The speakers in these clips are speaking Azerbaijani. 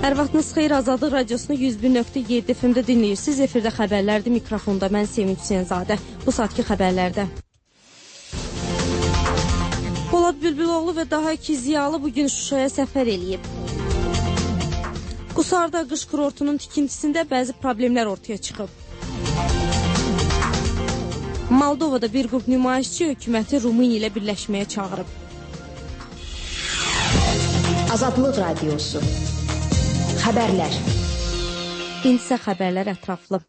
Hər vaxtınız xeyir, Azadlıq Radiosunu 101.7 FM-də dinləyirsiniz. Efirdə xəbərlərdir, mikrofonda mən Sevinç Hüseynzadə. Bu saatki xəbərlərdə. Polad Bülbüloğlu və daha iki ziyalı bugün Şuşaya səfər eləyib. Qusarda qış kurortunun tikintisində bəzi problemlər ortaya çıxıb. Moldovada bir qrup nümayişçi hökuməti Rumıniya ilə birləşməyə çağırıb. Azadlıq Radiosu. Xəbərlər. İndisə xəbərlər ətraflı.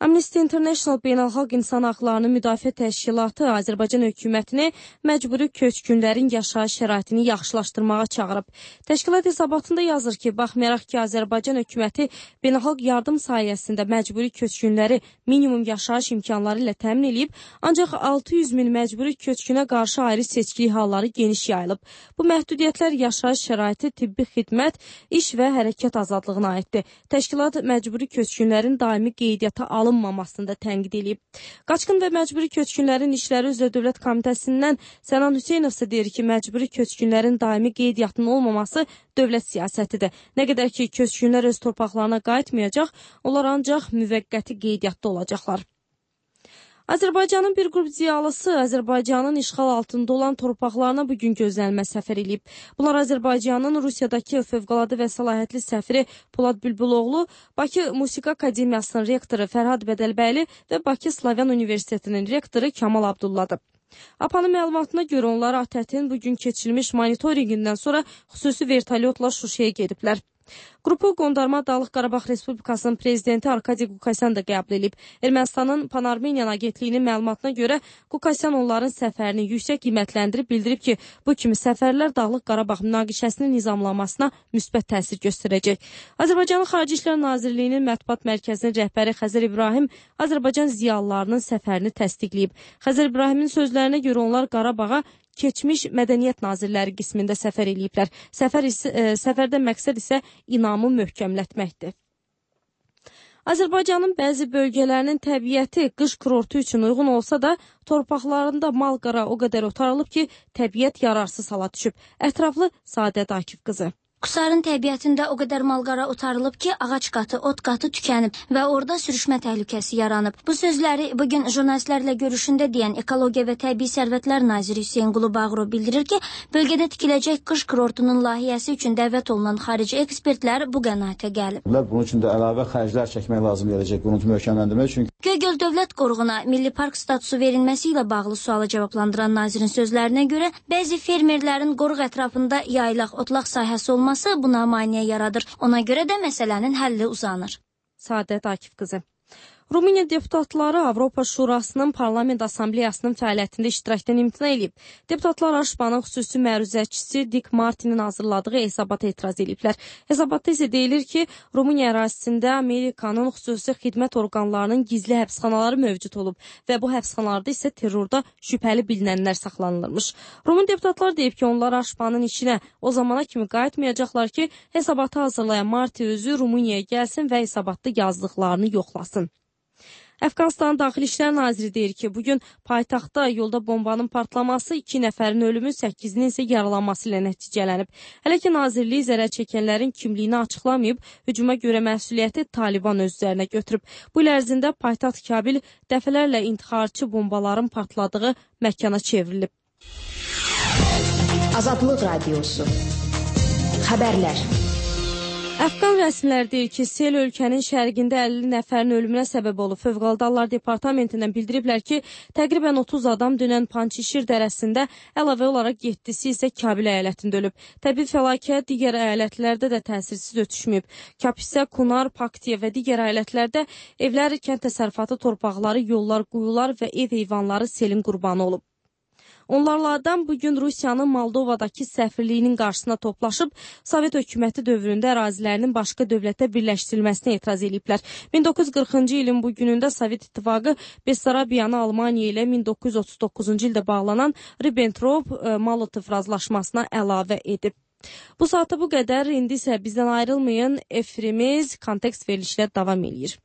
Amnesty International Beynəlxalq İnsan Haqlarını Müdafiə Təşkilatı Azərbaycan hökumətini məcburi köçkünlərin yaşayış şəraitini yaxşılaşdırmağa çağırıb. Təşkilat hesabatında yazır ki, baxmayaraq ki, Azərbaycan hökuməti beynəlxalq yardım sayəsində məcburi köçkünləri minimum yaşayış imkanları ilə təmin edib, ancaq 600 min məcburi köçkünə qarşı ayrı seçkilik halları geniş yayılıb. Bu məhdudiyyətlər yaşayış şəraiti, tibbi xidmət, iş və hərəkət azadlığına aiddir. Təşkilat məcburi köçkünlərin daimi qeydiyyata alınmamasını da tənqid edib. Qaçqın və məcburi köçkünlərin işləri üzrə Dövlət Komitəsindən Sənan Hüseynov isə deyir ki, məcburi köçkünlərin daimi qeydiyyatının olmaması dövlət siyasətidir. Nə qədər ki, köçkünlər öz torpaqlarına qayıtmayacaq, onlar ancaq müvəqqəti qeydiyyatda olacaqlar. Azərbaycanın bir qrup ziyalısı Azərbaycanın işğal altında olan torpaqlarına bugün gözlənmə səfər edib. Bunlar Azərbaycanın Rusiyadakı fövqəladə və səlahiyyətli səfiri Polad Bülbüloğlu, Bakı Musiqi Akademiyasının rektoru Fərhad Bədəlbəyli və Bakı Slavyan Universitetinin rektoru Kamal Abdulladır. APA'nın məlumatına görə onlar ATƏT-in bugün keçirilmiş monitoringindən sonra xüsusi vertolyotla Şuşaya gediblər. Qrupu Qondarma Dağlıq Qarabağ Respublikasının prezidenti Arkadi Qukasyan da qəbul edib. Ermənistanın Pan-Armeniyan agentliyinin məlumatına görə Qukasyan onların səfərini yüksək qiymətləndirib bildirib ki, bu kimi səfərlər Dağlıq Qarabağ münaqişəsinin nizamlanmasına müsbət təsir göstərəcək. Azərbaycanın Xarici İşlər Nazirliyinin mətbuat mərkəzinin rəhbəri Xəzər İbrahim Azərbaycan ziyalılarının səfərini təsdiqləyib. Xəzər İbrahimin sözlərinə görə onlar Qarabağa keçmiş mədəniyyət nazirləri qismində səfər eləyiblər. Səfərdə məqsəd isə inamı möhkəmlətməkdir. Azərbaycanın bəzi bölgələrinin təbiəti qış kurortu üçün uyğun olsa da, torpaqlarında mal-qara o qədər otarılıb ki, təbiət yararsız hala düşüb. Ətraflı Sadət Akif qızı. Qusarın təbiətində o qədər malqara otarılıb ki, ağac qatı, ot qatı tükənib və orada sürüşmə təhlükəsi yaranıb. Bu sözləri bugün jurnalistlərlə görüşündə deyən Ekologiya və Təbii Sərvətlər naziri Hüseynqulu Bağırov bildirir ki, bölgədə tikiləcək qış kurortunun layihəsi üçün dəvət olunan xarici ekspertlər bu qənaətə gəlib. Bunun üçün də əlavə xərclər çəkmək lazım gələcək quruntu möhkəmləndirmək üçün. Göygöl Dövlət Qoruğuna Milli Park statusu verilməsi ilə bağlı sualı cavablandıran nazirin sözlərinə görə, bəzi fermerlərin qoruq ətrafında yaylaq, otlaq sahəsi olması buna maneə yaradır. Ona görə də məsələnin həlli uzanır. Sadət Akif qızı. Rumıniya deputatları Avropa Şurasının Parlament Assambleyasının fəaliyyətində iştirakdan imtina edib. Deputatlar Aşbanın xüsusi məruzəçisi Dick Martinin hazırladığı hesabata etiraz ediblər. Hesabatda isə deyilir ki, Rumıniya ərazisində Amerikanın xüsusi xidmət orqanlarının gizli həbsxanaları mövcud olub və bu həbsxanalarda isə terrorda şübhəli bilinənlər saxlanılırmış. Rumun deputatlar deyib ki, onlar Aşbanın işinə o zamana kimi qayıtmayacaqlar ki, hesabatı hazırlayan Marti özü Rumuniyaya gəlsin və hesabatda yazdıqlarını yoxlasın. Əfqanistan Daxili İşlər Naziri deyir ki, bugün paytaxtda yolda bombanın partlaması 2 nəfərin ölümü, 8-nin isə yaralanması ilə nəticələnib. Hələ ki, nazirlik zərər çəkənlərin kimliyini açıqlamayıb, hücuma görə məsuliyyəti Taliban öz üzərinə götürüb. Bu il ərzində paytaxt Kabil dəfələrlə intixarçı bombaların partladığı məkana çevrilib. Azadlıq Radiosu. Xəbərlər. Əfqan rəsmilər deyir ki, sel ölkənin şərqində 50 nəfərin ölümünə səbəb olub. Fövqəladə Hallar Departamentindən bildiriblər ki, təqribən 30 adam dünən Pançişir dərəsində, əlavə olaraq 7-si isə Kabil əyalətində ölüb. Təbii fəlakət digər əyalətlərdə də təsirsiz ötüşməyib. Kapisə, Kunar, Paktiya və digər əyalətlərdə evlər, kənd təsərrüfatı torpaqları, yollar, quyular və ev heyvanları selin qurbanı olub. Onlarlardan bugün Rusiyanın Moldovadakı səfirliyinin qarşısına toplaşıb, Sovet hökuməti dövründə ərazilərinin başqa dövlətə birləşdirilməsinə etiraz ediblər. 1940-cı ilin bu günündə Sovet İttifaqı Bessarabiyanı Almaniya ilə 1939-cu ildə bağlanan Ribbentrop-Molotov razılaşmasına əlavə edib. Bu saata bu qədər, indi isə bizdən ayrılmayın, efirimiz kontekst verilişlə davam edir.